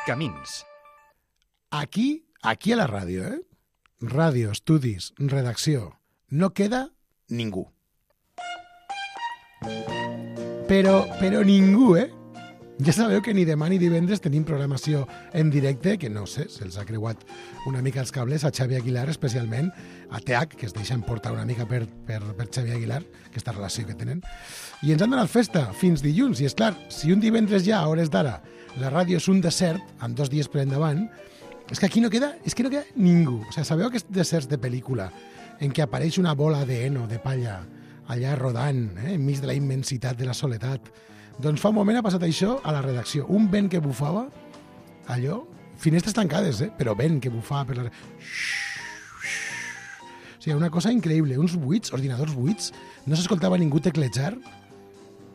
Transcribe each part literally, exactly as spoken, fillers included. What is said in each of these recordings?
Camins. Aquí, aquí a la ràdio, eh? Ràdio, estudis, redacció. No queda ningú. Però, però ningú, eh? Ja sabeu que ni demà ni divendres tenim programació en directe, que no sé, se'ls ha creuat una mica els cables a Xavi Aguilar, especialment a T H, que es deixa emportar una mica per, per, per Xavi Aguilar, aquesta relació que tenen. I ens han donat festa fins dilluns. I és clar, si un divendres ja, a hores d'ara, la ràdio és un desert, amb dos dies per endavant, és que aquí no queda, és que no queda ningú. O sigui, sabeu aquests deserts de pel·lícula en què apareix una bola de heno, de palla, allà rodant, eh, enmig de la immensitat de la soledat? Doncs fa un moment ha passat això a la redacció. Un vent que bufava, allò, finestres tancades, eh? Però vent que bufava per la... O sigui, una cosa increïble. Uns buits, ordinadors buits, no s'escoltava ningú teclejar.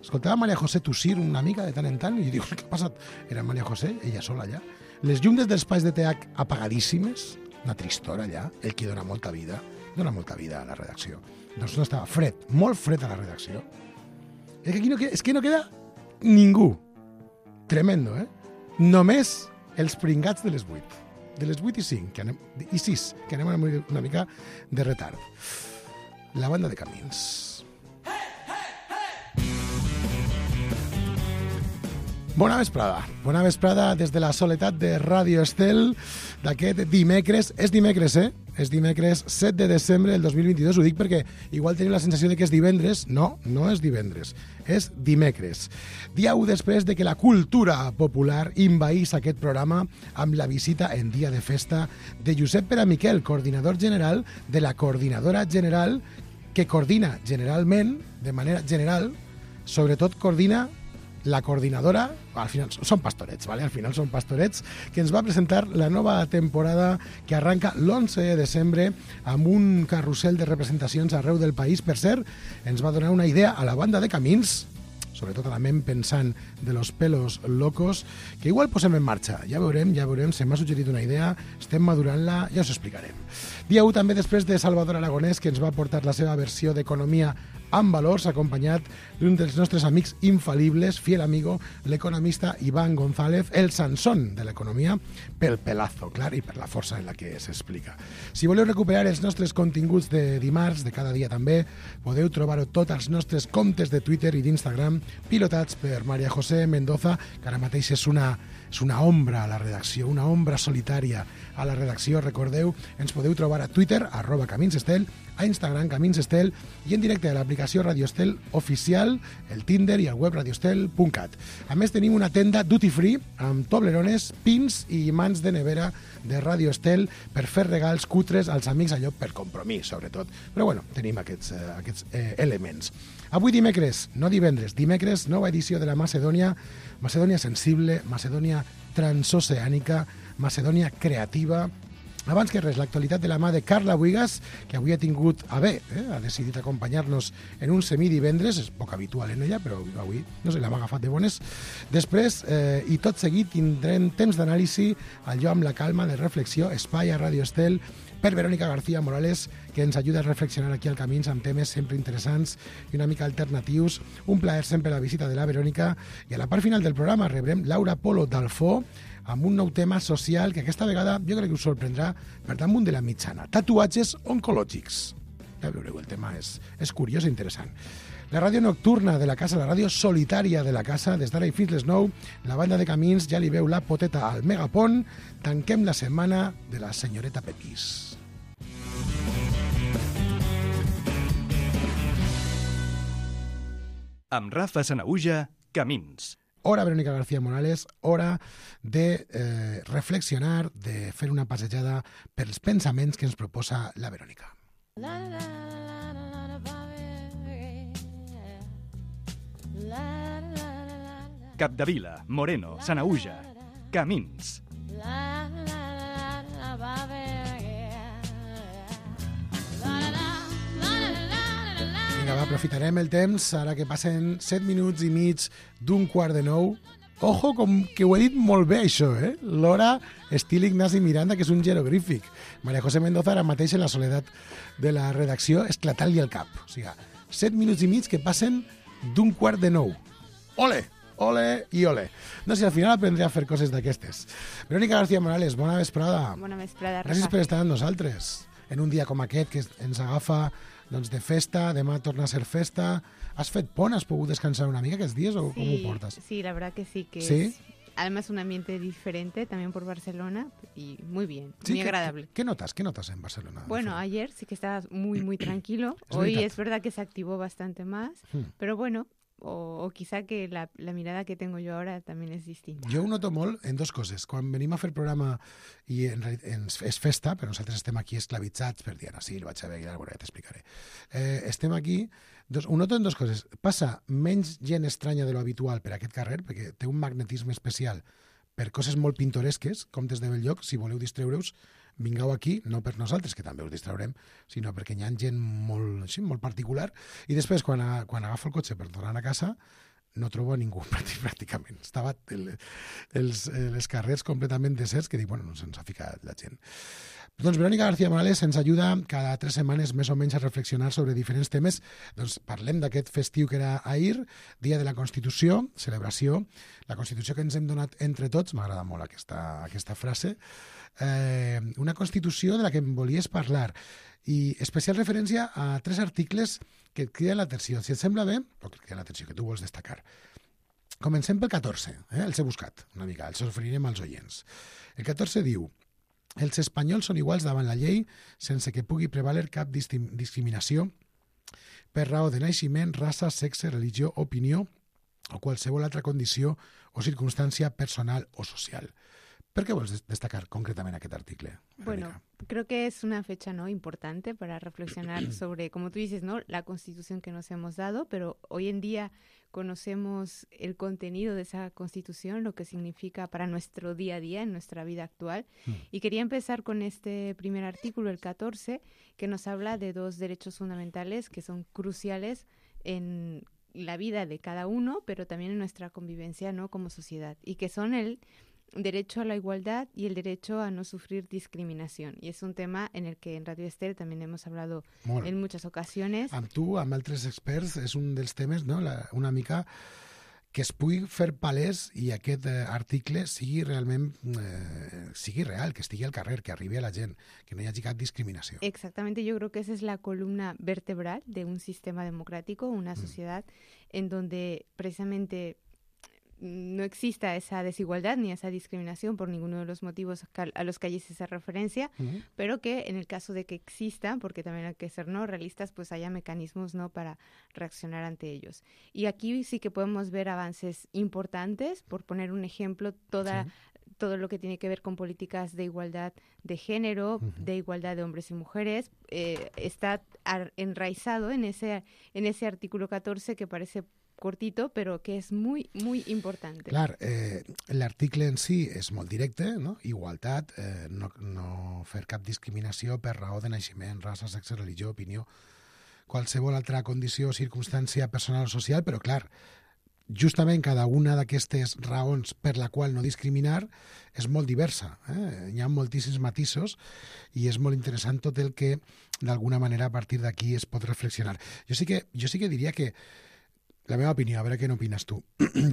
Escoltava Maria José tossir una mica de tant en tant i diu, què ha passat? Era Maria José, ella sola allà. Les llums dels espais de T H apagadíssimes, una tristora allà, el que dona molta vida, dona molta vida a la redacció. Doncs no estava fred, molt fred a la redacció. És que aquí no queda, és que no queda ningú. Tremendo, eh? Només els pringats de les vuit. De les vuit i cinc, que anem, i sis, que anem una mica de retard. La banda de Camins. Bona vesprada. Bona vesprada des de la soledat de Ràdio Estel d'aquest dimecres. És dimecres, eh? És dimecres set de desembre del dos mil vint-i-dos. Ho dic perquè igual tenim la sensació de que és divendres. No, no és divendres. És dimecres. Dia u després de que la cultura popular envaís aquest programa amb la visita en dia de festa de Josep Pere Miquel, coordinador general de la Coordinadora General, que coordina generalment, de manera general, sobretot coordina la coordinadora, al final són pastorets, ¿vale? Al final són pastorets, que ens va presentar la nova temporada que arranca l'onze de desembre amb un carrusel de representacions arreu del país. Per cert, ens va donar una idea a la banda de Camins, sobretot a la ment pensant de los pelos locos, que igual posem en marxa. Ja veurem, ja veurem, se m'ha suggerit una idea, estem madurant-la, ja us explicarem. Dia u també després de Salvador Aragonès, que ens va portar la seva versió d'Economia amb valors, acompanyat d'un dels nostres amics infal·libles, fiel amigo, l'economista Iván González, el Sansón de l'economia, pel pelazo, clar, i per la força en la que s'explica. Si voleu recuperar els nostres continguts de dimarts, de cada dia també, podeu trobar-ho tots als nostres comptes de Twitter i d'Instagram, pilotats per Maria José Mendoza, que ara mateix és una, és una ombra a la redacció, una ombra solitària a la redacció. Recordeu, ens podeu trobar a Twitter, arroba Camins Estel, a Instagram, Camins Estel, i en directe a l'aplicació Radio Estel oficial, el Tinder i el web radioestel punt cat. A més, tenim una tenda duty free amb toblerones, pins i imants de nevera de Radio Estel per fer regals cutres als amics, allò per compromís, sobretot. Però bueno, tenim aquests, eh, aquests eh, elements. Avui dimecres, no divendres, dimecres, nova edició de la Macedònia, Macedònia sensible, Macedònia transoceànica, Macedònia creativa. Abans que res, l'actualitat de la mà de Carla Buigas, que avui ha tingut a bé, eh? ha decidit acompanyar-nos en un semidivendres, és poc habitual en ella, però avui, no sé, l'hem agafat de bones. Després, eh, i tot seguit, tindrem temps d'anàlisi, allò amb la calma de reflexió, espai a Radio Estel, per Verónica García Morales, que ens ajuda a reflexionar aquí al Camins amb temes sempre interessants i una mica alternatius. Un plaer sempre la visita de la Verónica. I a la part final del programa rebrem Laura Polo d'Alfó, amb un nou tema social que aquesta vegada jo crec que us sorprendrà per damunt de la mitjana. Tatuatges oncològics. Ja veureu, el tema és, és curiós i interessant. La ràdio nocturna de la casa, la ràdio solitària de la casa, des d'ara i fins les nou, la banda de Camins ja li veu la poteta al Megapont. Tanquem la setmana de la senyoreta Pepís. Amb Rafa Sanahuja, Camins. Hora Verónica García Morales, hora de eh, reflexionar, de fer una passejada pels pensaments que ens proposa la Verónica. Capdevila, Moreno, Sanahuja, Camins. Vinga, va, aprofitarem el temps, ara que passen set minuts i mig d'un quart de nou. Ojo, com que ho he dit molt bé, això, eh? L'hora estil Ignasi Miranda, que és un jeroglífic. Maria José Mendoza, ara mateix en la soledat de la redacció, esclatant-li el cap. O sigui, set minuts i mig que passen d'un quart de nou. Ole! ole i ole. No sé, al final aprendré a fer coses d'aquestes. Verónica García Morales, bona vesprada. Bona vesprada, Rafa. Gràcies per estar amb nosaltres en un dia com aquest que ens agafa doncs, de festa, demà torna a ser festa. Has fet pont? Has pogut descansar una mica aquests dies o sí, com ho portes? Sí, la verdad que sí, que ¿Sí? es además un ambiente diferente también por Barcelona y muy bien, Sí, muy ¿qué, agradable. ¿qué, ¿Qué notas? ¿Qué notas en Barcelona? Bueno, ayer sí que estaba muy, muy tranquilo. Es Hoy verdad. es verdad que se activó bastante más, Hmm. pero bueno, o, o quizá que la, la mirada que tengo yo ahora también es distinta. Jo ho noto molt en dos coses. Quan venim a fer programa i en, reali- en, és festa, però nosaltres estem aquí esclavitzats per Diana Silva, Xavier Aguilar, bueno, ja t'explicaré. Eh, estem aquí, dos, ho noto en dos coses. Passa menys gent estranya de lo habitual per aquest carrer, perquè té un magnetisme especial per coses molt pintoresques, com des de Belllloc, si voleu distreure-us, vingueu aquí, no per nosaltres, que també us distraurem, sinó perquè hi ha gent molt, sí, molt particular, i després, quan, a, quan agafo el cotxe per tornar a casa, no trobo a ningú pràctic- pràcticament. Estava el, els, els carrers completament deserts, que dic, bueno, no se'ns ha ficat la gent. Doncs Verónica García Morales ens ajuda cada tres setmanes més o menys a reflexionar sobre diferents temes. Doncs parlem d'aquest festiu que era ahir, Dia de la Constitució, celebració, la Constitució que ens hem donat entre tots, m'agrada molt aquesta, aquesta frase, eh, una Constitució de la que em volies parlar, i especial referència a tres articles que et criden l'atenció. Si et sembla bé, o que et criden l'atenció, que tu vols destacar. Comencem pel catorze, eh? Els he buscat una mica, els oferirem als oients. El catorze diu: els espanyols són iguals davant la llei sense que pugui prevaler cap distim- discriminació per raó de naixement, raça, sexe, religió, opinió o qualsevol altra condició o circumstància personal o social. ¿Por qué vols des- destacar concretamente aquest article, Bueno, Verónica? creo que es una fecha, ¿no?, importante para reflexionar sobre, como tú dices, ¿no?, la Constitución que nos hemos dado, pero hoy en día conocemos el contenido de esa Constitución, lo que significa para nuestro día a día, en nuestra vida actual. Mm. Y quería empezar con este primer artículo, el catorce, que nos habla de dos derechos fundamentales que son cruciales en la vida de cada uno, pero también en nuestra convivencia, ¿no?, como sociedad, y que son el derecho a la igualdad y el derecho a no sufrir discriminación. Y es un tema en el que en Radio Estel también hemos hablado Molt. en muchas ocasiones. Amb tu, amb altres experts, és un dels temes, no?, la, una mica que es pugui fer palès i aquest eh, article sigui realment eh, sigui real, que estigui al carrer, que arribi a la gent, que no hi hagi cap discriminació. Exactamente, yo creo que esa es la columna vertebral de un sistema democrático, una sociedad en donde precisamente no exista esa desigualdad ni esa discriminación por ninguno de los motivos cal- a los que allí se hace referencia, Mhm. pero que en el caso de que exista, porque también hay que ser no realistas, pues haya mecanismos no para reaccionar ante ellos. Y aquí sí que podemos ver avances importantes, por poner un ejemplo, toda Sí. todo lo que tiene que ver con políticas de igualdad de género, Ujú. de igualdad de hombres y mujeres, eh, está ar- enraizado en ese en ese artículo catorce que parece cortito, pero que es muy, muy importante. Clar, eh, l'article en si és molt directe, no? Igualtat, eh, no, no fer cap discriminació per raó de naixement, raça, sexe, religió, opinió, qualsevol altra condició o circumstància personal o social, però clar, justament cada una d'aquestes raons per la qual no discriminar és molt diversa. Eh? Hi ha moltíssims matisos i és molt interessant tot el que d'alguna manera a partir d'aquí es pot reflexionar. Jo sí que, jo sí que diria que la meva opinió, a veure què n'opines tu.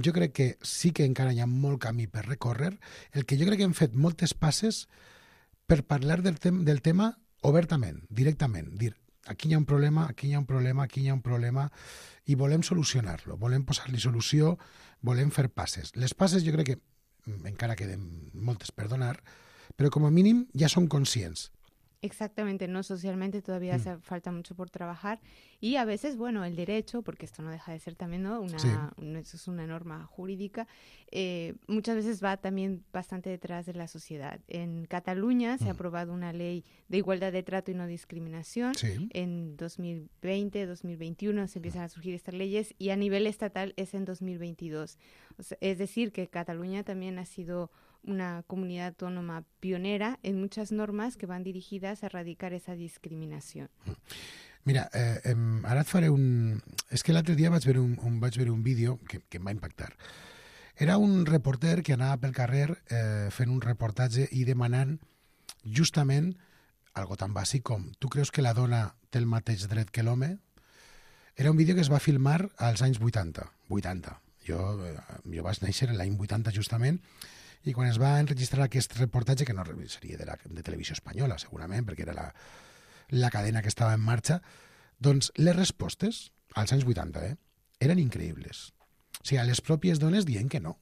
Jo crec que sí que encara hi ha molt camí per recórrer. El que jo crec que hem fet moltes passes per parlar del, tem del tema obertament, directament. Dir, aquí hi ha un problema, aquí hi ha un problema, aquí hi ha un problema, i volem solucionar-lo, volem posar-li solució, volem fer passes. Les passes jo crec que encara queden moltes per donar, però com a mínim ja som conscients. Exactamente, no socialmente todavía Mm. hace falta mucho por trabajar y a veces, bueno, el derecho, porque esto no deja de ser también, ¿no?, una, Sí. un- eso es una norma jurídica, eh, muchas veces va también bastante detrás de la sociedad. En Cataluña se ha Mm. aprobado una ley de igualdad de trato y no discriminación. Sí. En dos mil veinte, dos mil veintiuno se empiezan a surgir estas leyes y a nivel estatal es en dos mil veintidós. O sea, es decir, que Cataluña también ha sido una comunidad autónoma pionera en muchas normas que van dirigidas a erradicar esa discriminación. Mira, eh, em, ara et faré un... És que l'altre dia vaig veure un, un, vaig veure un vídeo que, que em va impactar. Era un reporter que anava pel carrer eh, fent un reportatge i demanant justament algo tan bàsic com tu creus que la dona té el mateix dret que l'home? Era un vídeo que es va filmar als anys vuitanta. vuitanta. Jo, jo vaig néixer l'any vuitanta justament, i quan es va enregistrar aquest reportatge, que no seria de, la, de Televisió Espanyola, segurament, perquè era la, la cadena que estava en marxa, doncs les respostes, als anys vuitanta, eh, eren increïbles. O sigui, les pròpies dones dient que no,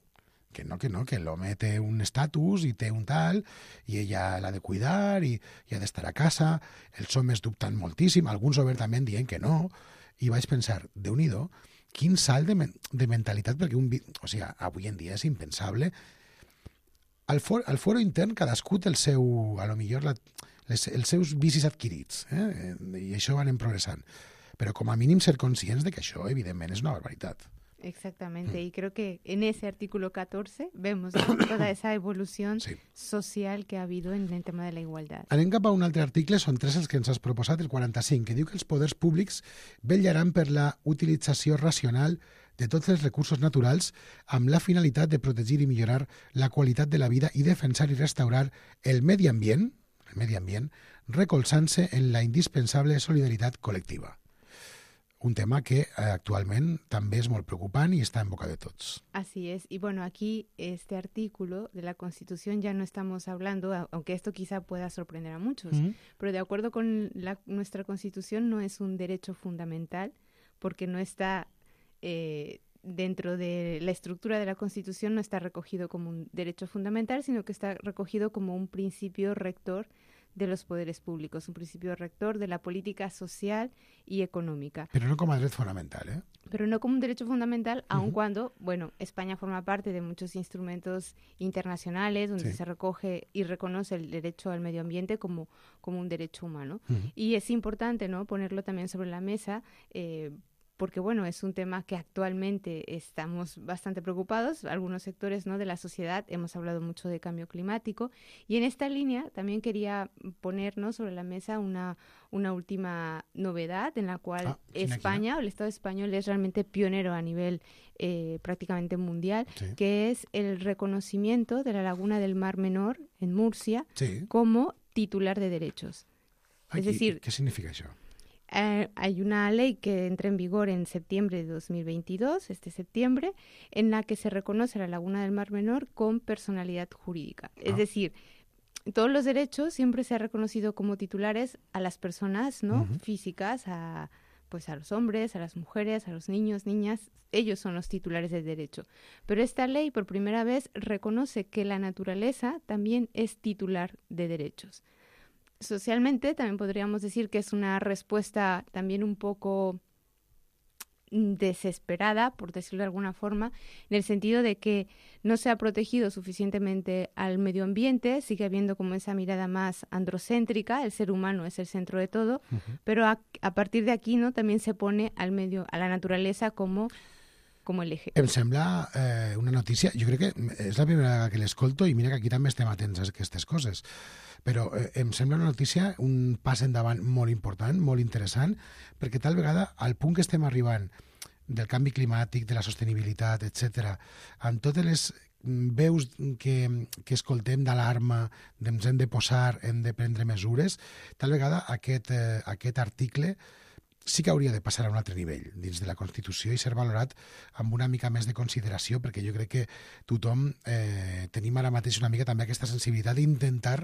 que no, que no, que l'home té un estatus i té un tal, i ella l'ha de cuidar, i, i ha d'estar a casa, els homes dubtant moltíssim, alguns obertament dient que no, i vaig pensar, Déu-n'hi-do, quin salt de, men de mentalitat, perquè un, o sigui, avui en dia és impensable. Al, for, al foro intern cadascú té el seu, a lo millor la, les, els seus vicis adquirits, eh? I això van progressant. Però com a mínim ser conscients de que això, evidentment, és una barbaritat. Exactamente, mm. y creo que en ese artículo catorce vemos, ¿no?, toda esa evolución sí. social que ha habido en el tema de la igualdad. Anem cap a un altre article, són tres els que ens has proposat, el quaranta-cinc, que diu que els poders públics vetllaran per la utilització racional de tots els recursos naturals amb la finalitat de protegir i millorar la qualitat de la vida i defensar i restaurar el medi ambient, el medi ambient, recolzant-se en la indispensable solidaritat col·lectiva. Un tema que eh, actualment també és molt preocupant y está en boca de todos. Así es. Y bueno, aquí este artículo de la Constitución ya no estamos hablando, aunque esto quizá pueda sorprender a muchos, uh-huh. pero de acuerdo con la, nuestra Constitución no es un derecho fundamental porque no está eh, dentro de la estructura de la Constitución, no está recogido como un derecho fundamental, sino que está recogido como un principio rector de los poderes públicos, un principio rector de la política social y económica. Pero no como derecho fundamental, ¿eh? Pero no como un derecho fundamental, uh-huh. aun cuando, bueno, España forma parte de muchos instrumentos internacionales donde sí. se recoge y reconoce el derecho al medio ambiente como, como un derecho humano. Uh-huh. Y es importante, ¿no?, ponerlo también sobre la mesa, eh, porque bueno, es un tema que actualmente estamos bastante preocupados, algunos sectores, ¿no?, de la sociedad, hemos hablado mucho de cambio climático, y en esta línea también quería ponernos sobre la mesa una, una última novedad en la cual ah, España, o el Estado español, es realmente pionero a nivel eh, prácticamente mundial, sí. que es el reconocimiento de la laguna del Mar Menor en Murcia sí. como titular de derechos. Ay, es decir, ¿qué significa eso? Eh, hay una ley que entra en vigor en septiembre de dos mil veintidós, este septiembre, en la que se reconoce la Laguna del Mar Menor con personalidad jurídica. Ah. Es decir, todos los derechos siempre se ha reconocido como titulares a las personas, ¿no?, uh-huh. físicas, a, pues a los hombres, a las mujeres, a los niños, niñas, ellos son los titulares del derecho. Pero esta ley por primera vez reconoce que la naturaleza también es titular de derechos. Socialmente también podríamos decir que es una respuesta también un poco desesperada, por decirlo de alguna forma, en el sentido de que no se ha protegido suficientemente al medio ambiente, sigue habiendo como esa mirada más androcéntrica, el ser humano es el centro de todo, uh-huh. pero a, a partir de aquí, ¿no?, también se pone al medio, a la naturaleza como com el eje. Em sembla eh, una notícia, jo crec que és la primera vegada que l'escolto i mira que aquí també estem atents a aquestes coses, però eh, em sembla una notícia, un pas endavant molt important, molt interessant, perquè tal vegada al punt que estem arribant del canvi climàtic, de la sostenibilitat, etcètera, amb totes les veus que, que escoltem d'alarma, ens hem de posar, hem de prendre mesures, tal vegada aquest, eh, aquest article sí que hauria de passar a un altre nivell dins de la Constitució i ser valorat amb una mica més de consideració, perquè jo crec que tothom eh, tenim ara mateix una mica també aquesta sensibilitat d'intentar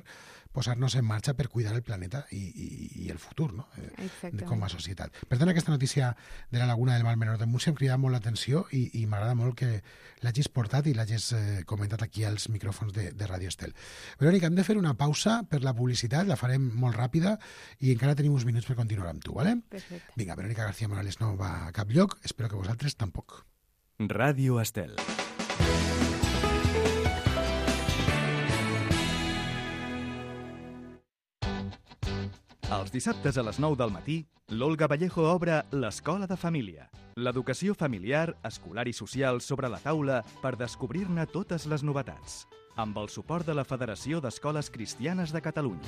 posar-nos en marxa per cuidar el planeta i, i, i el futur, no? Eh, com a societat. Per tant, aquesta notícia de la Laguna del Mar Menor de Múrcia em crida molt l'atenció i, i m'agrada molt que l'hagis portat i l'hagis eh, comentat aquí als micròfons de, de Radio Estel. Verònica, hem de fer una pausa per la publicitat, la farem molt ràpida i encara tenim uns minuts per continuar amb tu, ¿vale? Perfecte. Vinga, Verònica García Morales no va a cap lloc, espero que vosaltres tampoc. Radio Estel. Els dissabtes a les nou del matí, l'Olga Vallejo obre l'Escola de Família. L'educació familiar, escolar i social sobre la taula per descobrir-ne totes les novetats. Amb el suport de la Federació d'Escoles Cristianes de Catalunya.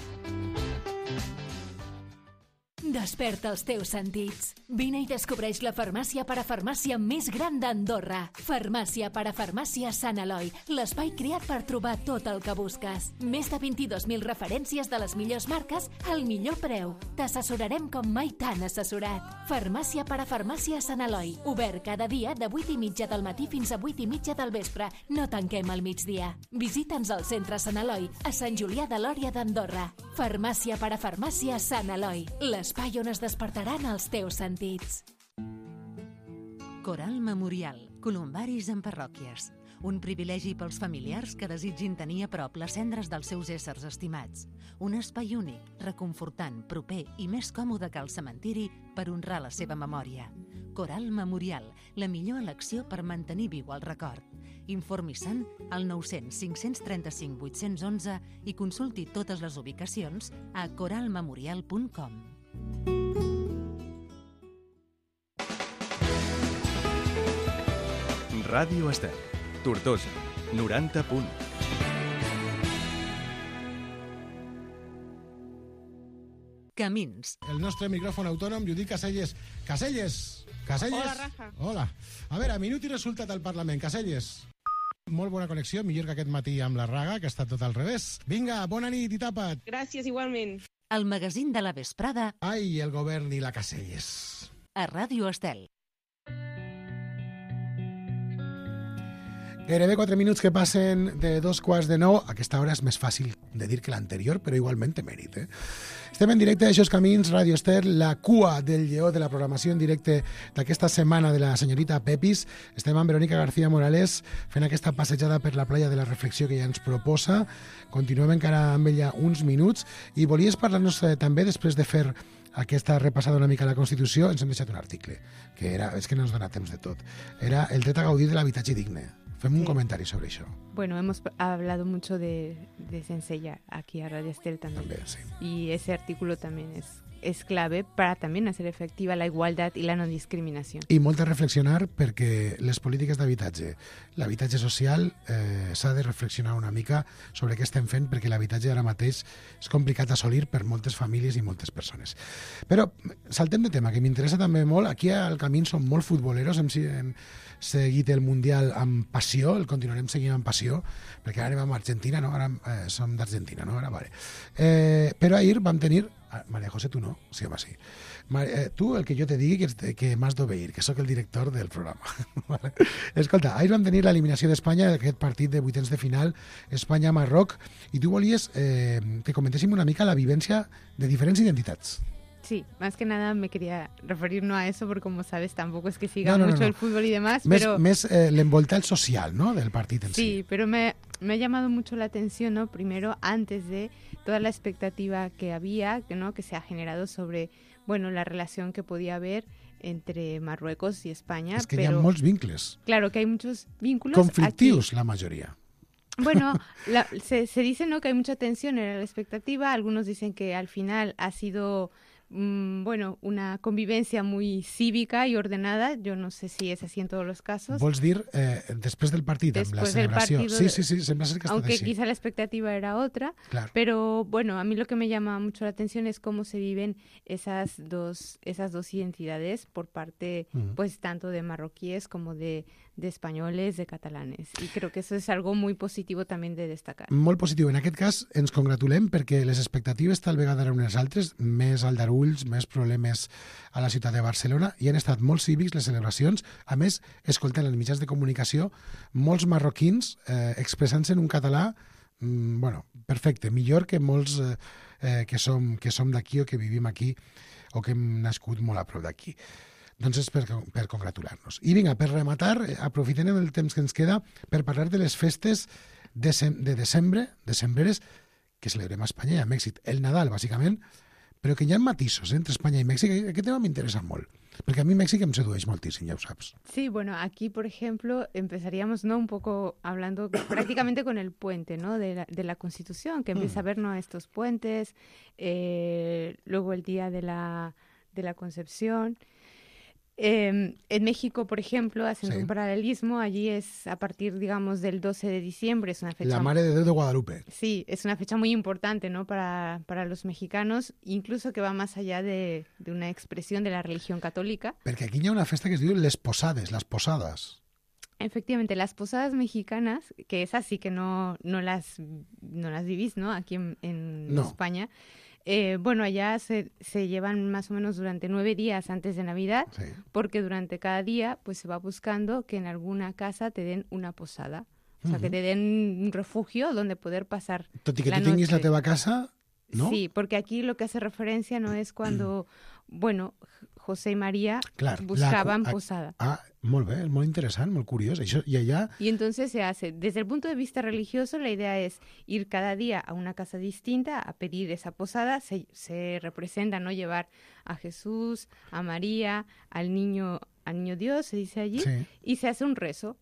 Desperta els teus sentits. Vine i descobreix la farmàcia parafarmàcia més gran d'Andorra. Farmàcia parafarmàcia Sant Eloi, l'espai creat per trobar tot el que busques. Més de vint-i-dos mil referències de les millors marques al millor preu. T'assessorarem com mai t'han assessorat. Farmàcia parafarmàcia Sant Eloi, obert cada dia de vuit i mitja del matí fins a vuit i mitja del vespre. No tanquem al migdia. Visita'ns al centre Sant Eloi, a Sant Julià de Lòria d'Andorra. Farmàcia parafarmàcia Sant Eloi, l'espai on es despertaran els teus sentits. Coral Memorial, columbaris en parròquies. Un privilegi pels familiars que desitgin tenir a prop les cendres dels seus éssers estimats. Un espai únic, reconfortant, proper i més còmode que el cementiri per honrar la seva memòria. Coral Memorial, la millor elecció per mantenir viu el record. Informi-se'n al nou cents cinc cents trenta-cinc vuit-cents onze i consulti totes les ubicacions a coral memorial punt com. Ràdio Estel, Tortosa, noranta punt. Camins. El nostre micròfon autònom, Judit Caselles. Caselles! Caselles! Hola, Rafa. Hola. A veure, minut i resultat al Parlament. Caselles. Molt bona connexió, millor que aquest matí amb la Raga, que està tot al revés. Vinga, bona nit i tapa't. Gràcies, igualment. El magazín de la vesprada. Ai, el govern i la Caselles. A Ràdio Estel. Gairebé quatre minuts que passen de dos quarts de nou. Aquesta hora és més fàcil de dir que l'anterior, però igualment té mèrit, eh? Estem en directe d'Aixòs Camins, Ràdio Estel, la cua del lleó de la programació en directe d'aquesta setmana de la senyorita Pepis. Estem amb Verónica García Morales fent aquesta passejada per la playa de la reflexió que ja ens proposa. Continuem encara amb ella uns minuts i volies parlar-nos eh, també, després de fer aquesta repassada una mica a la Constitució, ens hem deixat un article, que era, és que no ens dona temps de tot. Era el dret a gaudir de l'habitatge digne. Fem un sí. comentario sobre eso. Bueno, hemos hablado mucho de, de Sensella aquí a Radio Estel también. También, sí. Y ese artículo también es, es clave para también hacer efectiva la igualdad y la no discriminación. I molt a reflexionar perquè les polítiques d'habitatge, l'habitatge social, eh, s'ha de reflexionar una mica sobre què estem fent, perquè l'habitatge ara mateix és complicat assolir per moltes famílies i moltes persones. Però saltem de tema, que m'interessa també molt. Aquí al Camí som molt futboleros, hem, hem seguit el Mundial amb passió, el continuarem seguint amb passió, perquè ara anem amb Argentina, no? Ara eh, som d'Argentina, no? Ara, vale. Eh, però ahir vam tenir... Ah, María José, tu no? Sí, home, sí. Maria, eh, tu, el que jo te digui, que, que m'has d'obeir, que sóc el director del programa. Vale. Escolta, ahir vam tenir l'eliminació d'Espanya d'aquest partit de vuitens de final, Espanya-Marroc, i tu volies eh, que comentéssim una mica la vivència de diferents identitats. Sí, más que nada me quería referir no a eso, porque como sabes tampoco es que siga no, no, mucho no, no. el fútbol y demás, Més, pero... Més eh, l'envoltal social, ¿no?, del partit en sí. Sí, pero me, me ha llamado mucho la atención, ¿no?, primero, antes de toda la expectativa que había, ¿no?, que se ha generado sobre, bueno, la relación que podía haber entre Marruecos y España. És que pero, hi ha molts vincles. Claro, que hay muchos vínculos. Conflictius, aquí. La mayoría. Bueno, la, se, se dice, ¿no?, que hay mucha tensión en la expectativa. Algunos dicen que al final ha sido... bueno, una convivencia muy cívica y ordenada. Yo no sé si es así en todos los casos. Vols dir eh, després del partit, amb la celebració? Partido, sí, sí, sí, sembla ser que aunque ha estat així. quizá la expectativa era otra, claro. Pero bueno, a mí lo que me llama mucho la atención es cómo se viven esas dos, esas dos identidades por parte, mm. pues, tanto de marroquíes como de, de españoles, de catalanes. Y creo que eso es algo muy positivo también de destacar. Molt positiu. En aquest cas ens congratulem perquè les expectatives tal vegada eren unes altres, més aldarulls, més problemes a la ciutat de Barcelona, i han estat molt cívics les celebracions. A més, escoltant els mitjans de comunicació, molts marroquins eh, expressant-se en un català mm, bueno, perfecte, millor que molts eh, que som, que som d'aquí o que vivim aquí o que hem nascut molt a prop d'aquí. Doncs és per, per congratular-nos. I vinga, per rematar, aprofitem el temps que ens queda per parlar de les festes de, de desembre, decembreres, que celebrem a Espanya i a Mèxic. El Nadal, bàsicament, però que hi ha matisos eh, entre Espanya i Mèxic. Aquest tema m'interessa molt, porque a mí México me sedueix moltíssim, ya lo sabes. Sí, bueno, aquí, por ejemplo, empezaríamos, ¿no?, un poco hablando prácticamente con el puente, ¿no?, de la, de la Constitución, que empieza mm. a ver, ¿no?, estos puentes, eh, luego el día de la, de la Concepción. Eh, en México, por ejemplo, haciendo Sí. un paralelismo, allí es a partir, digamos, del doce de diciembre, es una fecha... La Mare de Déu de Guadalupe. Sí, es una fecha muy importante, ¿no? Para, para los mexicanos, incluso que va más allá de, de una expresión de la religión católica. Perquè aquí hi ha una festa que es diu les posades, les posades. Efectivamente, las posadas mexicanas, que esas sí que no, no, las, no las vivís, ¿no? Aquí en, en No. España. Eh, bueno, allá se, se llevan más o menos durante nueve días antes de Navidad, Sí. porque durante cada día pues se va buscando que en alguna casa te den una posada. O sea, que te den un refugio donde poder pasar Tot i que la tu tinguis la noche. teva casa, no? Sí, porque aquí lo que hace referencia no es cuando, bueno, José y María Clar, la- buscaban a- posada. Ah, molt bé, és molt interessant, molt curiós. Això, I allà, Y entonces se hace, desde el punto de vista religioso, la idea es ir cada día a una casa distinta a pedir esa posada. Se, se representa, ¿no? Llevar a Jesús, a María, al niño, al niño Dios, se dice allí, sí. y se hace un rezo.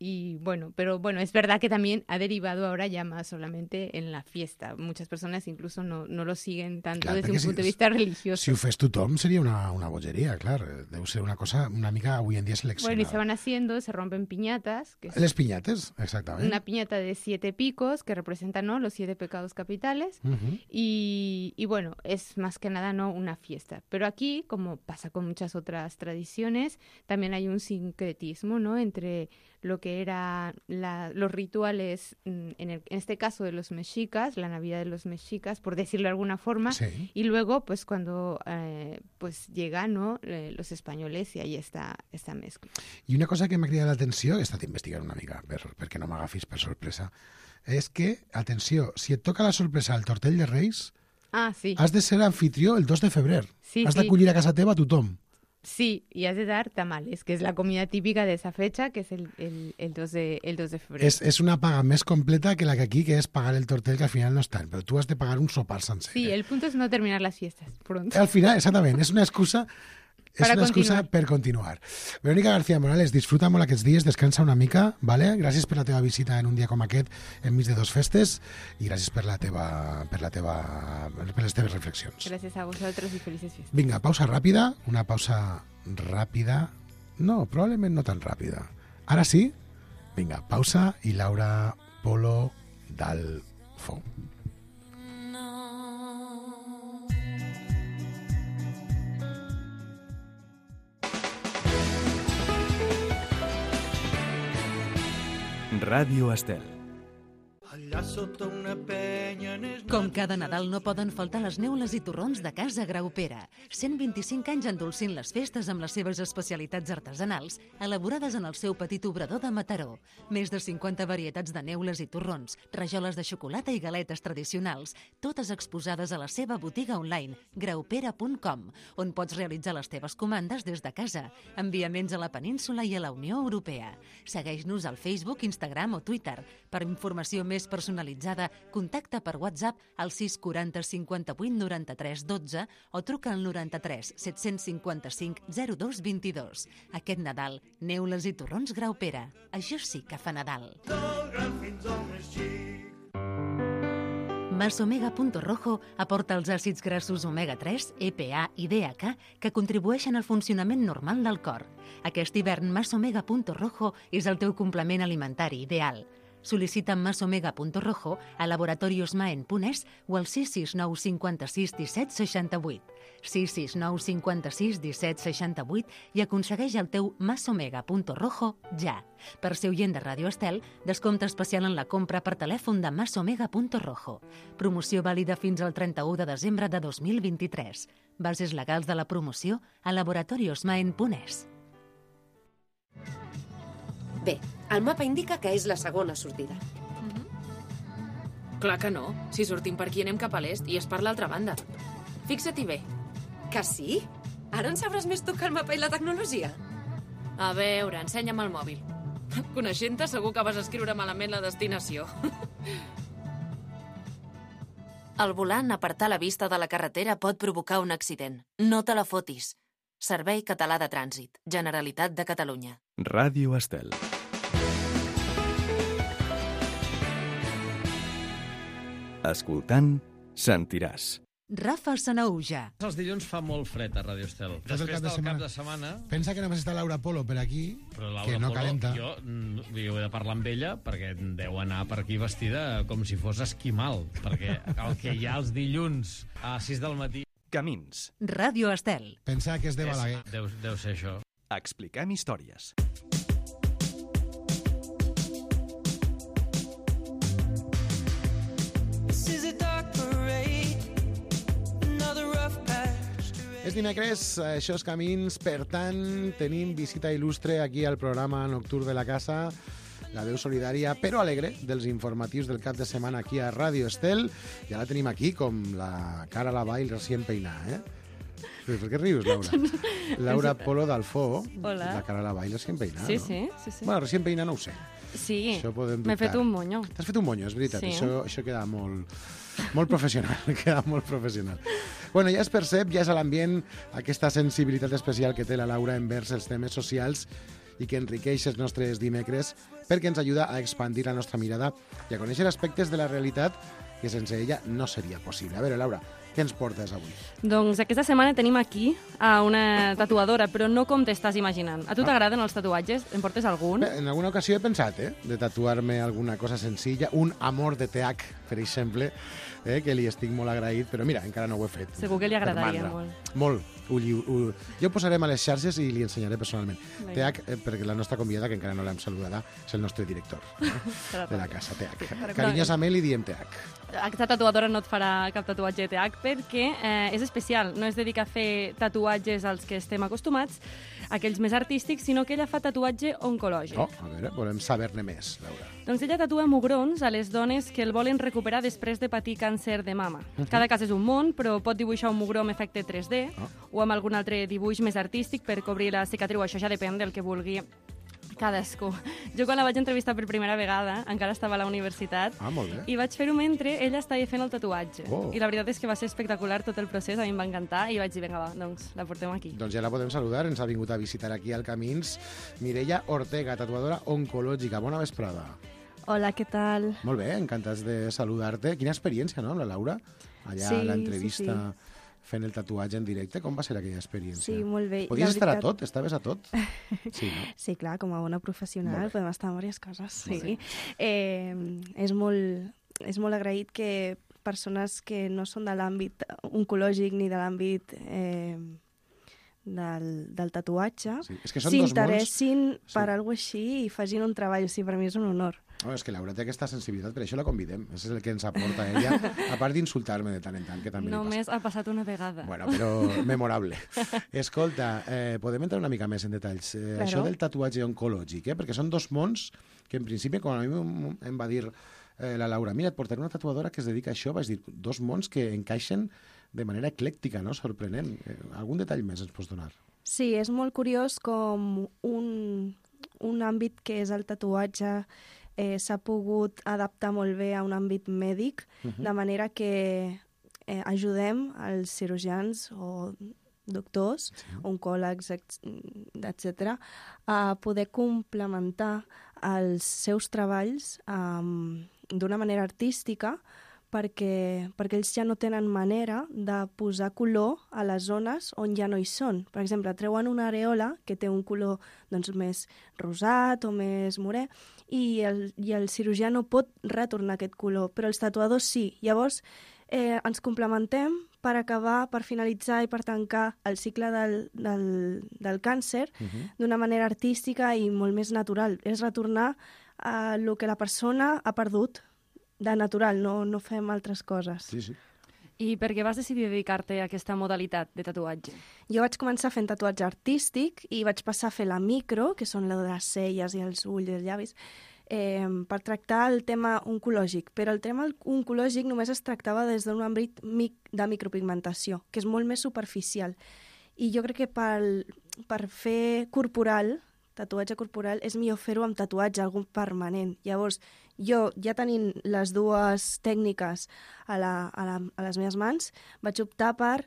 Y bueno, pero bueno, es verdad que también ha derivado ahora ya más solamente en la fiesta. Muchas personas incluso no, no lo siguen tanto Clar, desde perquè un si- punto de vista religioso. Si ho fes tothom seria una, una bogeria, clar. Deu ser una cosa una mica avui en dia seleccionada. Bueno, y se van haciendo, se rompen piñatas, que es Les piñates, exactament. una piñata de siete picos que representan, ¿no?, los siete pecados capitales. Ujú. Y, y bueno, es más que nada no una fiesta. Pero aquí, como pasa con muchas otras tradiciones, también hay un sincretismo, ¿no?, entre lo que eran la, los rituales, mm, en, el, en este caso de los mexicas, la Navidad de los mexicas, por decirlo de alguna forma, Sí. y luego, pues cuando eh, pues llegan, ¿no?, eh, los españoles, y ahí está esta mezcla. I una cosa que m'ha cridat l'atenció, he estat investigant una mica per, perquè no m'agafis per sorpresa, és que, atenció, si et toca la sorpresa al tortell de Reis, Ah, sí. has de ser anfitrió el dos de febrer. Sí, has sí. d'acollir a casa teva a tothom. Sí, y has de dar tamales, que es la comida típica de esa fecha, que es el, el, el, dos, de, el dos de febrero. És, és una paga més completa que la que aquí, que és pagar el tortell, que al final no és tant, però tu has de pagar un sopar sencer. Sí, el punto es no terminar las fiestas pronto. Al final, exactament, és una excusa és Para una excusa continuar. per continuar. Verónica García Morales, disfruta molt aquests dies, descansa una mica, vale? Gràcies per la teva visita en un dia com aquest, enmig de dos festes, i gràcies per la teva, per la teva, per les teves reflexions. Gracias a vosotros y felices fiestas. Vinga, pausa ràpida, una pausa ràpida, no, probablement no tan ràpida. Ara sí? Vinga, pausa i Laura Polo Dalfo. Ràdio Estel. Allà sota una penya n'és... Com cada Nadal no poden faltar les neules i torrons de Casa Graupera. cent vint-i-cinc anys endolcint les festes amb les seves especialitats artesanals, elaborades en el seu petit obrador de Mataró. Més de cinquanta varietats de neules i torrons, rajoles de xocolata i galetes tradicionals, totes exposades a la seva botiga online, graupera punt com, on pots realitzar les teves comandes des de casa, enviaments a la península i a la Unió Europea. Segueix-nos al Facebook, Instagram o Twitter. Per informació més personalitzada, contacta per WhatsApp al sis quaranta cinquanta-vuit noranta-tres dotze o truca al noranta-tres set-cents cinquanta-cinc zero dos vint-i-dos. Aquest Nadal, neules i torrons Graupera. Això sí que fa Nadal. Del gran fins al més xic. Masomega.rojo aporta els àcids grassos omega tres, E P A i D H A que contribueixen al funcionament normal del cor. Aquest hivern Masomega.rojo és el teu complement alimentari ideal. Sol·licita Masomega.rojo a laboratoriosmaen.es o al sis sis nou cinquanta-sis disset seixanta-vuit. sis sis nou cinquanta-sis disset seixanta-vuit i aconsegueix el teu Masomega.rojo ja. Per ser oient de Ràdio Estel, descompte especial en la compra per telèfon de Masomega.rojo. Promoció vàlida fins al trenta-u de desembre de dos mil vint-i-tres. Bases legals de la promoció a laboratoriosmaen.es. Bé, el mapa indica que és la segona sortida. Clar que no. Si sortim per aquí anem cap a l'est i és per l'altra banda. Fixa-t'hi bé. Que sí? Ara en sabràs més tu que el mapa i la tecnologia? A veure, ensenya'm el mòbil. Coneixent-te, segur que vas escriure malament la destinació. Al volant, apartar la vista de la carretera pot provocar un accident. No te la fotis. Servei Català de Trànsit. Generalitat de Catalunya. Ràdio Estel. Escoltant, sentiràs. Rafa Sanauja. Els dilluns fa molt fred a Radio Estel. Tot el Després cap de del setmana. cap de setmana... Pensa que només està Laura Polo per aquí, Però Laura que no Polo, calenta. Jo, mm, jo he de parlar amb ella perquè deu anar per aquí vestida com si fos esquimal, perquè el que hi ha els dilluns a sis del matí... Camins. Ràdio Estel. Pensa que és de és, Balaguer. deu, deu ser això. Expliquem històries. És dimecres, això és Camins, per tant, tenim visita il·lustre aquí al programa nocturn de la casa, la veu solidària però alegre dels informatius del cap de setmana aquí a Ràdio Estel, i ara tenim aquí com la cara a la vall recient peinada, eh? Per què rius, Laura? Laura Polo d'Alfó, Hola. la cara a la vall recient peinada, Sí, no? sí, sí, sí. Bueno, recient peinada no ho sé. Sí, Això podem m'he fet dubtar. un monyo. T'has fet un monyo, és veritat. Sí. Això, això queda molt, molt professional. Queda molt professional. Bueno, ja es percep, ja és a l'ambient aquesta sensibilitat especial que té la Laura envers els temes socials i que enriqueix els nostres dimecres perquè ens ajuda a expandir la nostra mirada i a conèixer aspectes de la realitat que sense ella no seria possible. A veure, Laura, què ens portes avui? Doncs aquesta setmana tenim aquí a una tatuadora, però no com t'estàs imaginant. A tu Ah. t'agraden els tatuatges? En portes algun? Bé, en alguna ocasió he pensat, eh, de tatuar-me alguna cosa senzilla, un amor de teac, per exemple, eh, que li estic molt agraït, però mira, encara no ho he fet. Segur que li Per agradaria mandra. molt. Molt. Ho, lli- ho, jo ho posarem a les xarxes i li ensenyaré personalment. Vinga. Teac, eh, perquè la nostra convidada, que encara no l'hem saludada, és el nostre director eh, Serà de la ràpid. casa, Teac. però- Carinyosament li diem Teac. Aquesta tatuadora no et farà cap tatuatge T H perquè eh, és especial. No es dedica a fer tatuatges als que estem acostumats, aquells més artístics, sinó que ella fa tatuatge oncològic. Oh, a veure, volem saber-ne més, Laura. Doncs ella tatua mugrons a les dones que el volen recuperar després de patir càncer de mama. Mhm. Cada cas és un món, però pot dibuixar un mugró amb efecte tres D Ah. o amb algun altre dibuix més artístic per cobrir la cicatriu. Això ja depèn del que vulgui cadascú. Jo quan la vaig entrevistar per primera vegada, encara estava a la universitat, Ah, molt bé. i vaig fer-ho mentre ella estava fent el tatuatge. Oh. I la veritat és que va ser espectacular tot el procés, a mi em va encantar, i vaig dir, vinga, va, doncs la portem aquí. Doncs ja la podem saludar, ens ha vingut a visitar aquí al Camins Mireia Ortega, tatuadora oncològica. Bona vesprada. Hola, què tal? Molt bé, encantats de saludar-te. Quina experiència, no, amb la Laura? Allà Sí, a l'entrevista sí, fent el tatuatge en directe. Com va ser aquella experiència? Sí, molt bé. Podies La estar a veritat- tot? Estaves a tot? Sí, no? Sí, clar, com a bona professional Molt bé. podem estar en diverses coses. Molt Sí. Eh, és, molt, és molt agraït que persones que no són de l'àmbit oncològic ni de l'àmbit eh, del, del tatuatge Sí, és que són dos mons- s'interessin Sí. per alguna així i facin un treball. O sigui, per mi és un honor. No, és que Laura té aquesta sensibilitat, per això la convidem. Això és el que ens aporta ella, a part d'insultar-me de tant en tant, que també li passa. Només ha passat una vegada. Bueno, però memorable. Escolta, eh, podem entrar una mica més en detalls. Eh, Claro. Això del tatuatge oncològic, eh? perquè són dos mons que en principi, quan a mi em- em va dir eh, la Laura, mira, et portaré una tatuadora que es dedica a això, vaig dir, dos mons que encaixen de manera eclèctica, no? Sorprenent. Eh, algun detall més ens pots donar? Sí, és molt curiós com un, un àmbit que és el tatuatge eh, s'ha pogut adaptar molt bé a un àmbit mèdic, Mhm. de manera que eh, ajudem els cirurgians o doctors, sí. oncòlegs, etcètera, a poder complementar els seus treballs um, d'una manera artística perquè, perquè ells ja no tenen manera de posar color a les zones on ja no hi són. Per exemple, treuen una areola que té un color doncs, més rosat o més morè i el, i el cirurgià no pot retornar aquest color, però els tatuadors sí. Llavors, eh, ens complementem per acabar, per finalitzar i per tancar el cicle del, del, del càncer Mhm. d'una manera artística i molt més natural. És retornar a el que la persona ha perdut de natural, no, no fem altres coses. Sí, sí. I per què vas decidir dedicar-te a aquesta modalitat de tatuatge? Jo vaig començar fent tatuatge artístic i vaig passar a fer la micro, que són la de les celles i els ulls i els llavis, eh, per tractar el tema oncològic. Però el tema oncològic només es tractava des d'un àmbit mic de micropigmentació, que és molt més superficial. I jo crec que per, per fer corporal, tatuatge corporal, és millor fer-ho amb tatuatge, algun permanent. Llavors, jo, ja tenint les dues tècniques a, la, a, la, a les meves mans, vaig optar per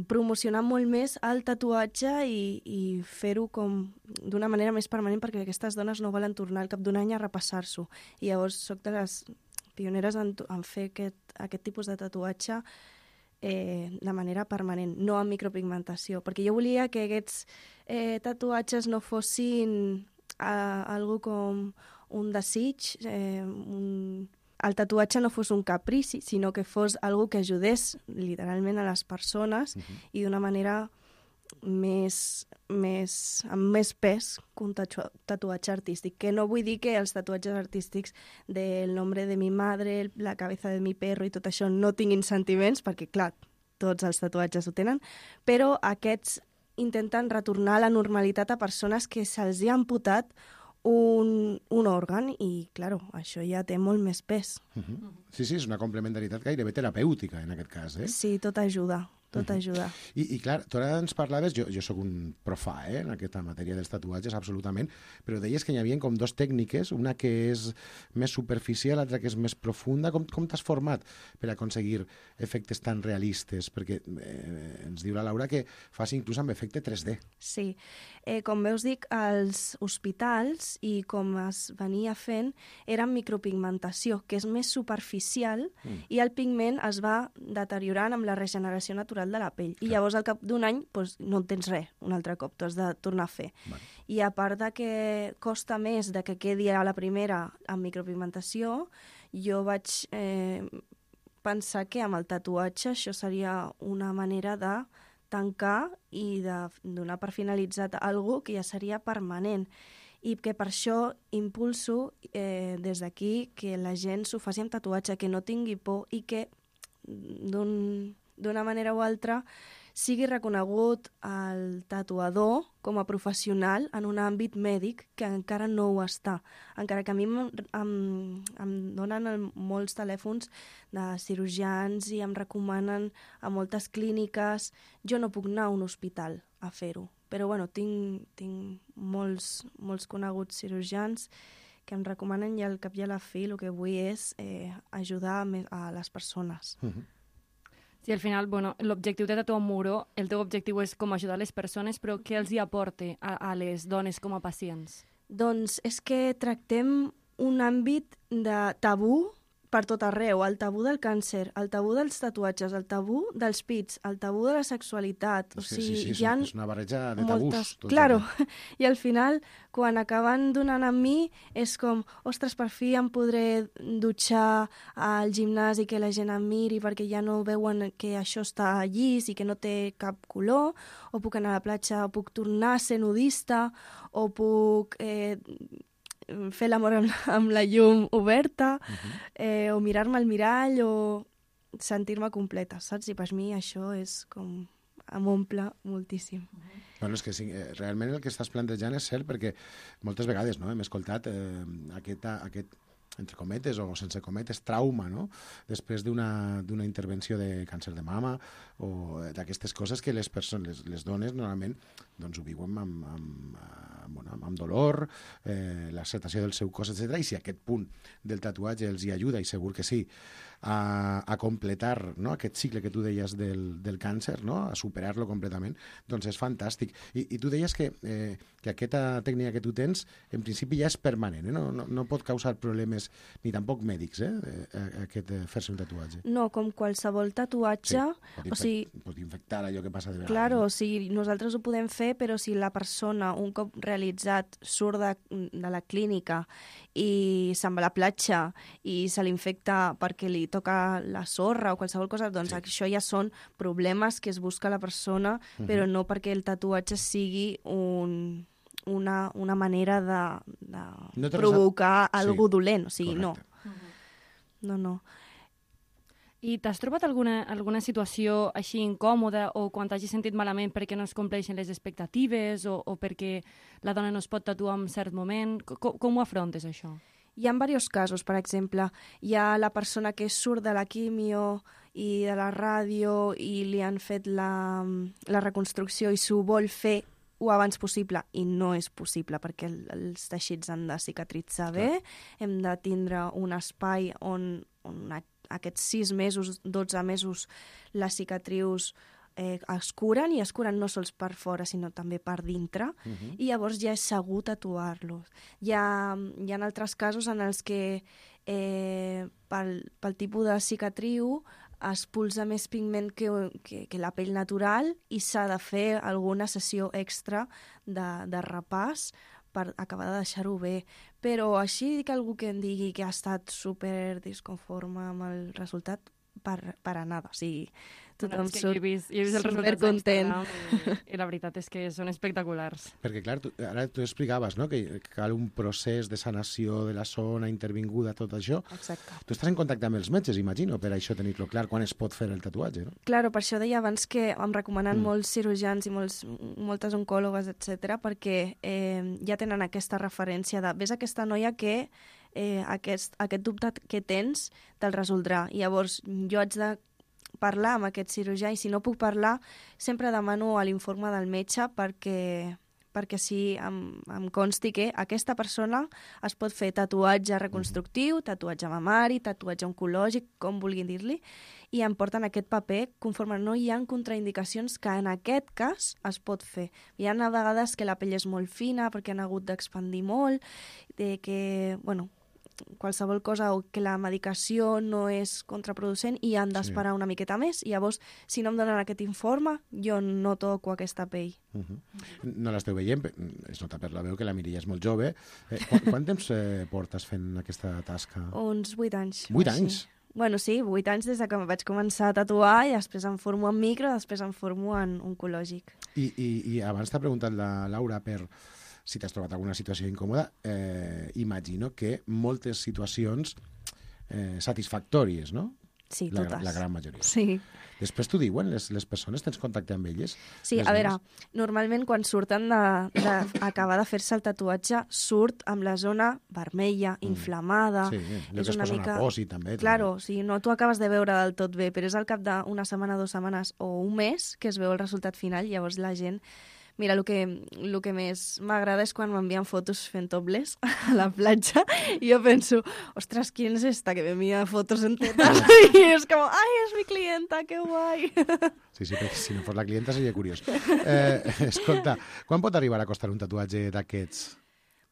promocionar molt més el tatuatge i, i fer-ho com d'una manera més permanent perquè aquestes dones no volen tornar al cap d'un any a repassar-s'ho. I llavors soc de les pioneres en, en fer aquest, aquest tipus de tatuatge eh, de manera permanent, no amb micropigmentació, perquè jo volia que aquests eh, tatuatges no fossin eh, algo com un desig, eh, un... el tatuatge no fos un caprici, sinó que fos algo que ajudés literalment a les persones uh-huh. i d'una manera més, més, amb més pes que un tatu tatuatge artístic. Que no vull dir que els tatuatges artístics del nombre de mi madre, la cabeza de mi perro i tot això no tinguin sentiments, perquè, clar, tots els tatuatges ho tenen, però aquests intenten retornar a la normalitat a persones que se'ls hi ha amputat un, un òrgan i, clar, això ja té molt més pes. Uh-huh. Sí, sí, és una complementaritat gairebé terapèutica, en aquest cas, eh? Sí, tot ajuda. Tot ajuda. I, i clar, tu ara ens parlaves, jo, jo sóc un profà eh, en aquesta matèria dels tatuatges, absolutament, però deies que hi havia com dos tècniques, una que és més superficial, l'altra que és més profunda. Com, com t'has format per aconseguir efectes tan realistes? Perquè eh, ens diu la Laura que fas inclús amb efecte tres D. Sí. Eh, com veus, dic, als hospitals i com es venia fent era micropigmentació, que és més superficial mm. i el pigment es va deteriorant amb la regeneració natural de la pell. I llavors al cap d'un any doncs, no en tens res un altre cop, t'ho has de tornar a fer. Vale. I a part de que costa més de que quedi a la primera amb micropigmentació, jo vaig eh, pensar que amb el tatuatge això seria una manera de tancar i de donar per finalitzat algo que ja seria permanent. I que per això impulso eh, des d'aquí que la gent s'ho faci amb tatuatge, que no tingui por i que d'un d'una manera o altra sigui reconegut el tatuador com a professional en un àmbit mèdic que encara no ho està. Encara que a mi em, em, em donen el, molts telèfons de cirurgians i em recomanen a moltes clíniques. Jo no puc anar a un hospital a fer-ho, però bueno, tinc, tinc molts, molts coneguts cirurgians que em recomanen i al cap i a la fi el que vull és eh, ajudar a les persones. Uh-huh. Sí, al final, bueno, l'objectiu de Tatuar un Muro, el teu objectiu és com ajudar les persones, però què els hi aporta a, a les dones com a pacients? Doncs és que tractem un àmbit de tabú per tot arreu, el tabú del càncer, el tabú dels tatuatges, el tabú dels pits, el tabú de la sexualitat. O sí, sigui, sí, sí, hi ha és una barreja de tabús. Moltes... Claro, i al final, quan acaben donant amb mi, és com, ostres, per fi em podré dutxar al gimnàs i que la gent em miri perquè ja no veuen que això està llis i que no té cap color, o puc anar a la platja, o puc tornar a ser nudista, o puc... Eh, fer l'amor amb, amb la llum oberta, uh-huh. eh, o mirar-me al mirall, o sentir-me completa, saps? I per mi això és com... em omple moltíssim. Uh-huh. Bueno, és que sí, eh, realment el que estàs plantejant és cert, perquè moltes vegades no, hem escoltat eh, aquest, aquest, entre cometes o sense cometes, trauma, no? Després d'una d'una intervenció de càncer de mama o d'aquestes coses que les persones, les, les dones normalment doncs ho viuen amb, amb, amb, bueno, amb dolor, eh, l'acceptació del seu cos, etcètera. I si aquest punt del tatuatge els hi ajuda, i segur que sí, a, a completar, no?, aquest cicle que tu deies del, del càncer, no?, a superar-lo completament, doncs és fantàstic. I, i tu deies que, eh, que aquesta tècnica que tu tens, en principi ja és permanent, eh? no, no, no pot causar problemes ni tampoc mèdics, eh, aquest eh, fer-se un tatuatge. No, com qualsevol tatuatge... Sí, pot, o sigui, pot infectar allò que passa de vegades. Claro, no? o sigui, nosaltres ho podem fer, però si la persona, un cop realitzat, surt de, de la clínica i se'n va a la platja i se l'infecta perquè li toca la sorra o qualsevol cosa, doncs sí. Això ja són problemes que es busca la persona, uh-huh. però no perquè el tatuatge sigui un... Una, una manera de, de no provocar sí, algú dolent. O sigui, correcte. no. No, no. I t'has trobat alguna, alguna situació així incòmoda o quan t'hagis sentit malament perquè no es compleixen les expectatives o, o perquè la dona no es pot tatuar en cert moment? Com, com ho afrontes, això? Hi ha diversos casos, per exemple. Hi ha la persona que surt de la quimio i de la ràdio i li han fet la, la reconstrucció i s'ho vol fer o abans possible, i no és possible perquè el, els teixits han de cicatritzar bé, hem de tindre un espai on, on aquests sis mesos, dotze mesos, les cicatrius eh, es curen, i es curen no sols per fora, sinó també per dintre, Mhm. i llavors ja és segur tatuar-los. Hi ha, hi ha altres casos en els que eh, pel, pel tipus de cicatriu es pulsa més pigment que, que, que la pell natural i s'ha de fer alguna sessió extra de, de repàs per acabar de deixar-ho bé. Però així que algú que em digui que ha estat super disconforme amb el resultat, per, per a nada. O sigui, tothom Bueno, és que surt jo he vist, jo he vist els supercontent. resultats d'Instagram i, i la veritat és que són espectaculars. Perquè, clar, tu, ara tu explicaves, no?, que cal un procés de sanació de la zona intervinguda, tot això. Exacte. Tu estàs en contacte amb els metges, imagino, per això tenir-lo clar, quan es pot fer el tatuatge, no? Claro, per això deia abans que em recomanen Mm. molts cirurgians i molts, moltes oncòlogues, etcètera, perquè eh, ja tenen aquesta referència de ves aquesta noia que eh, aquest, aquest dubte que tens te'l resoldrà. I llavors jo haig de parlar amb aquest cirurgià i si no puc parlar sempre demano l'informe del metge perquè perquè sí em, em consti que aquesta persona es pot fer tatuatge reconstructiu, tatuatge mamari, tatuatge oncològic, com vulguin dir-li, i em porten aquest paper conforme no hi ha contraindicacions que en aquest cas es pot fer. Hi ha a vegades que la pell és molt fina perquè han hagut d'expandir molt, de que, bueno, qualsevol cosa o que la medicació no és contraproducent i han d'esperar Sí. una miqueta més i llavors si no em donen aquest informe jo no toco aquesta pell. Uh -huh. No l'esteu veient, pe- es nota per la veu que la Mireia és molt jove. Eh, quant, quant temps eh, portes fent aquesta tasca? Uns vuit anys. Vuit o així. anys? Bueno, sí, vuit anys des de que vaig començar a tatuar i després em formo en micro, després em formo en oncològic. I, i, i abans t'ha preguntat la Laura per si t'has trobat alguna situació incòmoda. Eh, imagino que moltes situacions eh, satisfactòries, no? Sí, la, totes. La gran majoria. Sí. Després t'ho diuen les, les persones? Tens contacte amb elles? Sí, Les a veure, dones? normalment quan surten d'acabar de, de fer-se el tatuatge surt amb la zona vermella, inflamada. Sí, allò és que es una posa mica... una posi, també. Claro, o sigui, no t'ho acabes de veure del tot bé, però és al cap d'una setmana, dues setmanes o un mes que es veu el resultat final, llavors la gent... Mira, el que, el que més m'agrada és quan m'envien fotos fent topless a la platja i jo penso, ostres, ¿quién es esta que me envía fotos en tetas? I és com, ai, és mi clienta, que guai. Sí, sí, perquè si no fos la clienta seria curiós. Eh, escolta, quan pot arribar a costar un tatuatge d'aquests?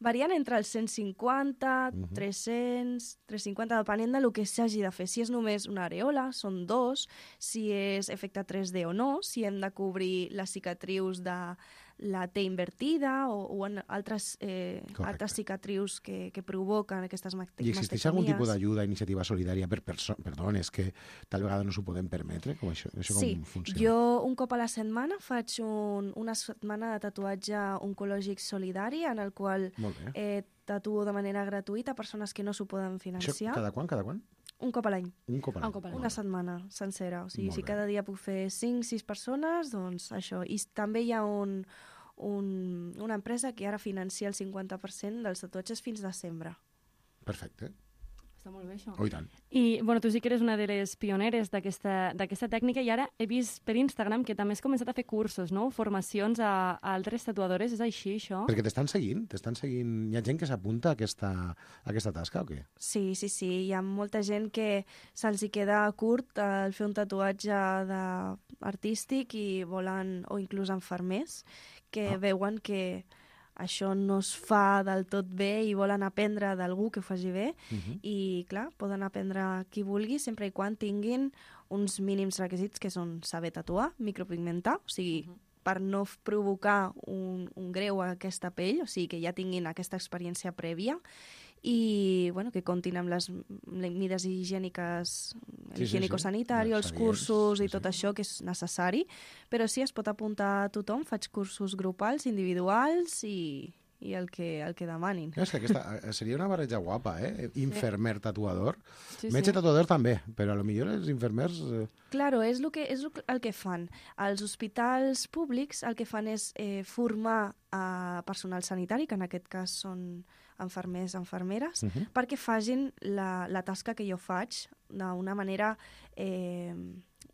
Varien entre els cent cinquanta, Mhm. tres-cents, tres-cents cinquanta, depenent del que s'hagi de fer. Si és només una areola, són dos. Si és efecte tres D o no. Si hem de cobrir les cicatrius de la T invertida o, o en altres, eh, altres cicatrius que, que provoquen aquestes mastectomies. I existeix algun tipus d'ajuda, iniciativa solidària per persones, per dones que tal vegada no s'ho poden permetre? Com això, això Sí, com funciona? jo un cop a la setmana faig un, una setmana de tatuatge oncològic solidari en el qual Molt bé. eh, tatuo de manera gratuïta a persones que no s'ho poden Això financiar. cada quan, cada quan? Un cop a l'any. Un cop a l'any. Un cop a l'any. Una setmana sencera. O sigui, Molt si bé. cada dia puc fer cinc sis persones, doncs això. I s- també hi ha un, un, una empresa que ara financia el cinquanta per cent dels tatuatges fins desembre. Perfecte. Està molt bé, això. Oh, i tant. I, bueno, tu sí que eres una de les pioneres d'aquesta d'aquesta tècnica i ara he vist per Instagram que també has començat a fer cursos, no? Formacions a, a altres tatuadores, és així, això? Perquè t'estan seguint? T'estan seguint? Hi ha gent que s'apunta a aquesta, a aquesta tasca o què? Sí, sí, sí. Hi ha molta gent que se'ls hi queda curt el fer un tatuatge de... artístic i volen, o inclús infermers, que Ah. veuen que això no es fa del tot bé i volen aprendre d'algú que ho faci bé. Mhm. I, clar, poden aprendre qui vulgui, sempre i quan tinguin uns mínims requisits que són saber tatuar, micropigmentar, o sigui, per no f- provocar un, un greu a aquesta pell, o sigui, que ja tinguin aquesta experiència prèvia i, bueno, que comptin amb les m- mides higièniques, Sí, sí, sí. higiènico-sanitari, els Els cursos i tot això que és necessari, però sí, es pot apuntar a tothom, faig cursos grupals, individuals i, i el que, el que demanin. És que aquesta eh, seria una barreja guapa, eh? Infermer tatuador. Sí, Metge sí. tatuador també, però a lo millor els infermers... Eh, Claro, és, lo que, és lo que- el que fan. Els hospitals públics el que fan és eh, formar a personal sanitari, que en aquest cas són infermers, infermeres, Mhm. perquè facin la, la tasca que jo faig d'una manera eh,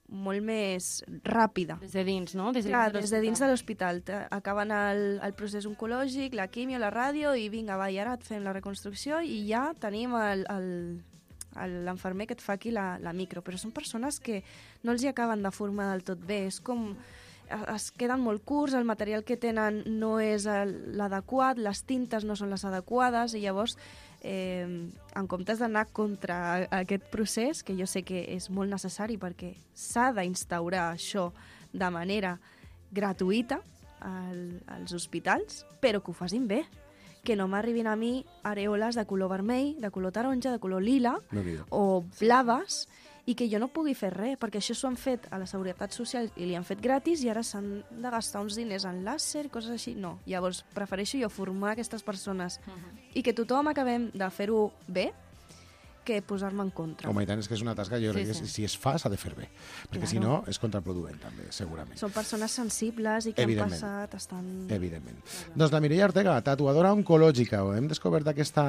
molt més ràpida. Des de dins, no? Des de Clar, dins de des de dins de l'hospital. Te- Acaben el, el procés oncològic, la quimio, la ràdio, i vinga, va, i ara et fem la reconstrucció i ja tenim el, el, l'enfermer que et fa aquí la, la micro, però són persones que no els hi acaben de formar del tot bé, és com es queden molt curts, el material que tenen no és l'adequat, les tintes no són les adequades, i llavors eh, en comptes d'anar contra aquest procés, que jo sé que és molt necessari perquè s'ha d'instaurar això de manera gratuïta al, als hospitals, però que ho facin bé, que no m'arribin a mi arèoles de color vermell, de color taronja, de color lila No, o blaves, i que jo no pugui fer res, perquè això s'ho han fet a la Seguretat Social i li han fet gratis i ara s'han de gastar uns diners en làser, coses així. No, llavors prefereixo jo formar aquestes persones uh-huh. i que tothom acabem de fer-ho bé, que posar-me en contra. Home, i tant, és que és una tasca, jo Sí, crec que sí. si es fa s'ha de fer bé, perquè Claro. si no és contraproduent també, segurament. Són persones sensibles i que han Evidentment. passat, estan... Evidentment. Doncs la Mireia Ortega, tatuadora oncològica. Hem descobert aquesta,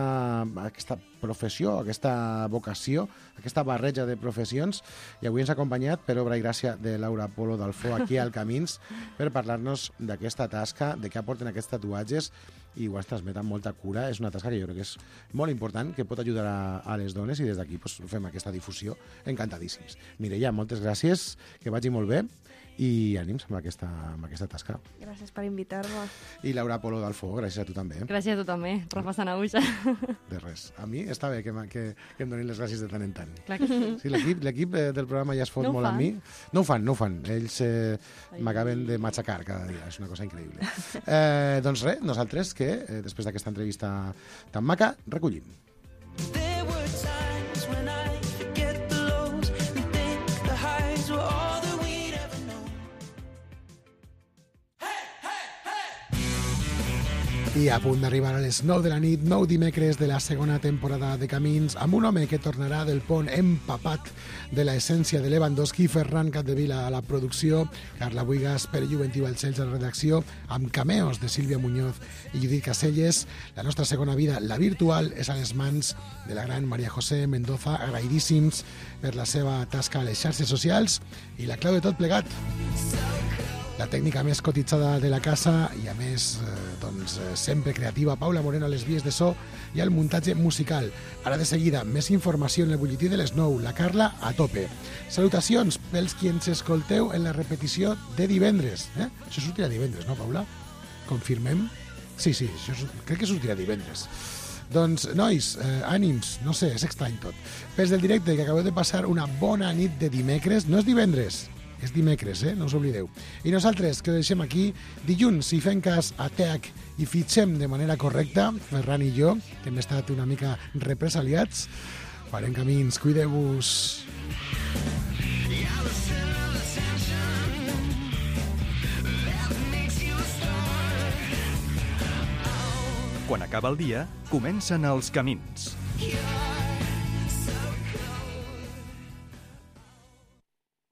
aquesta professió, aquesta vocació, aquesta barreja de professions, i avui ens ha acompanyat per obra i gràcia de Laura Polo d'Alfó aquí al Camins per parlar-nos d'aquesta tasca, de què aporten aquests tatuatges, i ho has transmet amb molta cura. És una tasca que jo crec que és molt important, que pot ajudar a, a les dones, i des d'aquí pues, fem aquesta difusió encantadíssims. Mireia, moltes gràcies, que vagi molt bé, i ànims amb aquesta, amb aquesta tasca. Gràcies per invitar-me. I Laura Polo d'Alfó, gràcies a tu també. Gràcies a tu també, Rafa Sanaúja. De res. A mi està bé que, que, que em donin les gràcies de tant en tant. Clar que sí. Sí, l'equip l'equip eh, del programa ja es fot No ho molt fan? amb mi. No ho fan, no ho fan. Ells eh, m'acaben de matxacar cada dia. És una cosa increïble. Eh, doncs res, nosaltres que, eh, després d'aquesta entrevista tan maca, recollim. There were times when I forget the lows and think the highs were all that we'd ever known. I a punt d'arribar a les nou de la nit, nou dimecres de la segona temporada de Camins, amb un home que tornarà del pont empapat de l'essència de Lewandowski, Ferran Capdevila a la producció, Carla Buigas, Pere Juventiu Balcells a la redacció, amb cameos de Sílvia Muñoz i Judit Caselles. La nostra segona vida, la virtual, és a les mans de la gran Maria José Mendoza, agraïdíssims per la seva tasca a les xarxes socials, i la clau de tot plegat, la tècnica més cotitzada de la casa i, a més, eh, doncs, eh, sempre creativa, Paula Moreno a les vies de so i al muntatge musical. Ara de seguida, més informació en el butlletí de les nou, la Carla a tope. Salutacions pels qui ens escolteu en la repetició de divendres. Eh? Això sortirà divendres, no, Paula? Confirmem? Sí, sí, això és, crec que sortirà divendres. Doncs, nois, eh, ànims, no sé, és estrany tot. Pels del directe, que acabeu de passar una bona nit de dimecres, no és divendres, és dimecres, eh? No us oblideu. I nosaltres, que ho deixem aquí, dilluns, si fem cas a T E A C i fitxem de manera correcta, Ferran i jo, que hem estat una mica represaliats, farem camins, cuideu-vos. Quan acaba el dia, comencen els camins.